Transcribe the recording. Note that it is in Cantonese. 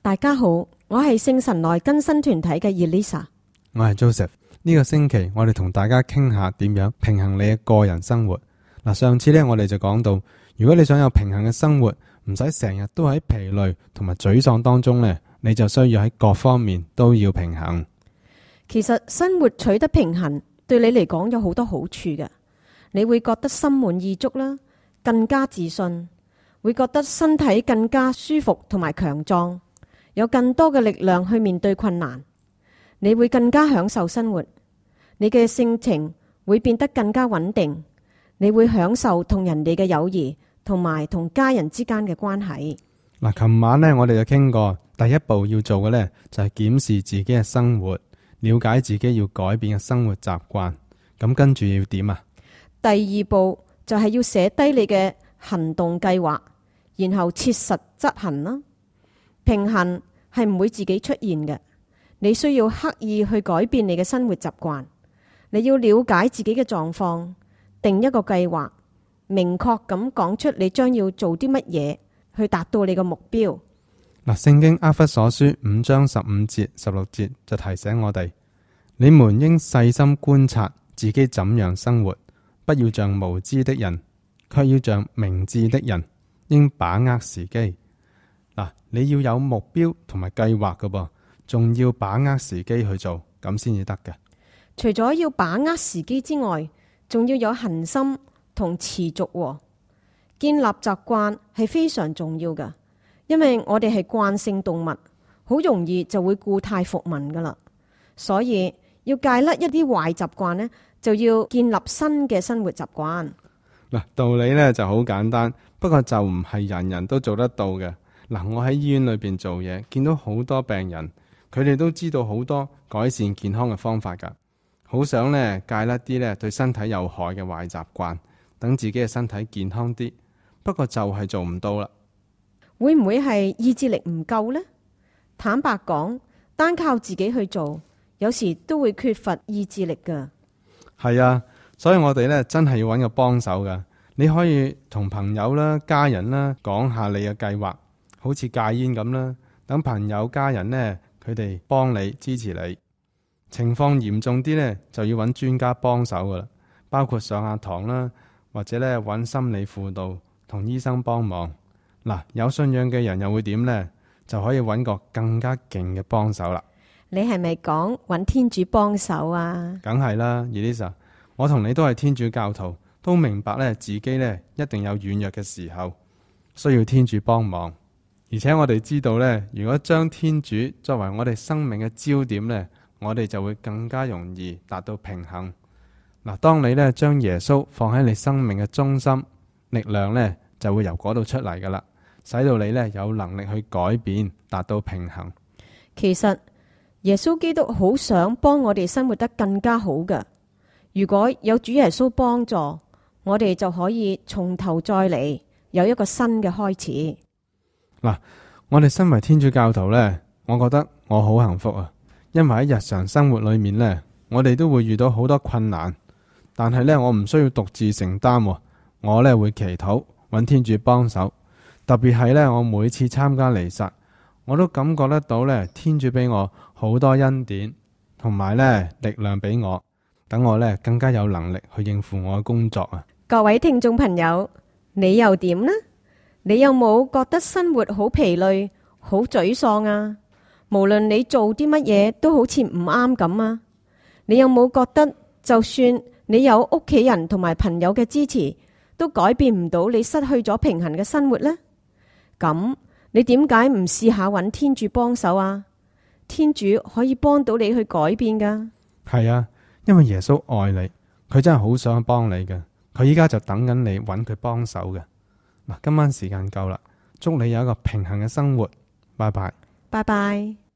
大家好，我係聖神內更新團體嘅 Elisa， 我係 Joseph。呢個星期我哋同大家傾下點樣平衡你嘅個人生活。上次呢，我哋就講到，如果你想有平衡嘅生活，唔使成日都喺疲累同埋沮喪當中呢，你就需要喺各方面都要平衡。其實生活取得平衡對你嚟講有好多好處嘅，你會覺得心滿意足啦，更加自信，會覺得身體更加舒服同埋強壯，有更多嘅力量去面對困難，你會更加享受生活，你嘅性情會變得更加穩定，你會享受同人哋嘅友誼同埋同家人之間嘅關係。琴晚呢，我哋就傾過，第一步要做嘅呢，就係檢視自己嘅生活，了解自己要改變嘅生活習慣。咁跟住要點啊？第二步就係要寫低你嘅行動計劃，然後切實執行啦。平衡係唔會自己出現嘅，你需要刻意去改變你嘅生活習慣。你要了解自己嘅狀況，定一個計劃，明確咁講出你將要做啲乜嘢去達到你嘅目標。聖經厄弗所書5章15節16節就提醒我哋：你們應細心觀察自己怎樣生活，不要像無知的人，卻要像明智的人，應把握時機。你要有目標同埋計劃㗎噃，仲要把握時機去做，咁先至得嘅。除咗要把握時機之外，仲要有恒心同持續。建立習慣係非常重要㗎，因為我哋係慣性動物，好容易就會故態復萌噶啦。所以要戒甩一啲壞習慣呢，就要建立新嘅生活習慣。道理呢就好簡單，不過就唔係人人都做得到嘅。我喺醫院裏邊做嘢，見到好多病人，佢哋都知道好多改善健康嘅方法噶，好想呢戒甩啲呢對身體有害嘅壞習慣，等自己嘅身體健康啲。不過就係做唔到啦。會唔會係意志力唔夠呢？坦白講，單靠自己去做，有時都會缺乏意志力噶。係啊，所以我哋呢真係要揾個幫手噶。你可以同朋友啦、家人啦講下你嘅計劃，好似戒煙咁啦。等朋友、家人呢，佢哋幫你支持你。情況嚴重啲呢，就要揾專家幫手噶啦，包括上下堂啦，或者呢揾心理輔導同醫生幫忙。有信仰嘅人又會點呢？就可以揾個更加勁嘅幫手啦。你係咪講揾天主幫手啊？梗係啦，Elisa，我同你都係天主教徒，都明白呢自己呢一定有軟弱嘅時候，需要天主幫忙。而且我哋知道呢，如果將天主作為我哋生命嘅焦點呢，我哋就會更加容易達到平衡。當你呢將耶穌放喺你生命嘅中心，力量呢就會由嗰度出嚟噶啦，使到你呢有能力去改變，達到平衡。其實耶穌基督好想幫我哋生活得更加好㗎。如果有主耶穌幫助，我哋就可以從頭再嚟，有一個新嘅開始。我哋身為天主教徒呢，我覺得我好幸福啊，因為喺日常生活裏面呢，我哋都會遇到好多困難，但係呢，我唔需要獨自承擔，我呢會祈禱，揾天主幫手。特別係呢，我每次參加彌撒，我都感覺得到呢，天主俾我好多恩典，同埋呢力量俾我，等我呢更加有能力去應付我嘅工作啊！各位聽眾朋友，你又點呢？你有冇覺得生活好疲累、好沮喪啊？無論你做啲乜嘢都好似唔啱咁啊？你有冇覺得就算你有屋企人同埋朋友嘅支持，都改變唔到你失去咗平衡嘅生活呢？咁你點解唔試下揾天主幫手啊？天主可以幫到你去改變噶。係啊，因為耶穌愛你，佢真係好想幫你嘅，佢依家就等緊你揾佢幫手嘅。今晚時間夠啦，祝你有一個平衡嘅生活，拜拜。拜拜。